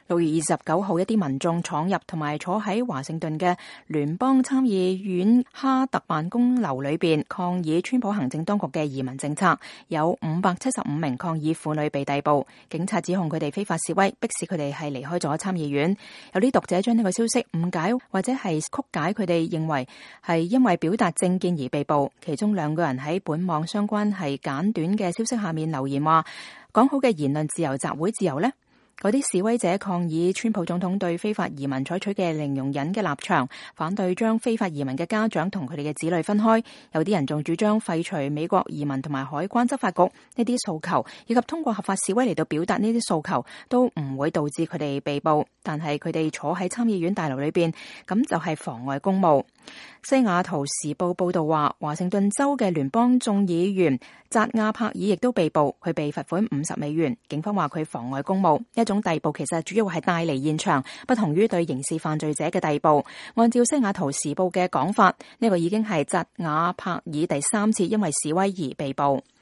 6月29號，一啲民眾闖入同埋坐喺華盛頓嘅聯邦參議院哈特辦公樓裏邊抗議川普行政當局嘅移民政策，有575名抗議婦女被逮捕，警察指控佢哋非法示威，迫使佢哋係離開咗參議院。有啲讀者將呢個消息誤解或者係曲解，佢哋認為係因為表達政見而被捕。其中2個人喺本網相關係簡短嘅消息下面留言話，講好嘅言論自由、集會自由呢？嗰啲示威者抗議川普總統對非法移民採取嘅零容忍嘅立場，反對將非法移民嘅家長同佢哋嘅子女分開。有啲人仲主張廢除美國移民同埋海關執法局呢啲訴求，以及通過合法示威嚟到表達呢啲訴求，都唔會導致佢哋被捕。但係佢哋坐喺參議院大樓裏邊，咁就係妨礙公務。西雅圖時報報道話，華盛頓州嘅聯邦眾議員扎亞柏爾亦都被捕，佢被罰款$50。警方話佢妨礙公務，一種逮捕其實主要係帶離現場，不同於對刑事犯罪者嘅逮捕。按照西雅圖時報嘅講法，呢個已經係扎亞柏爾第3次因為示威而被捕。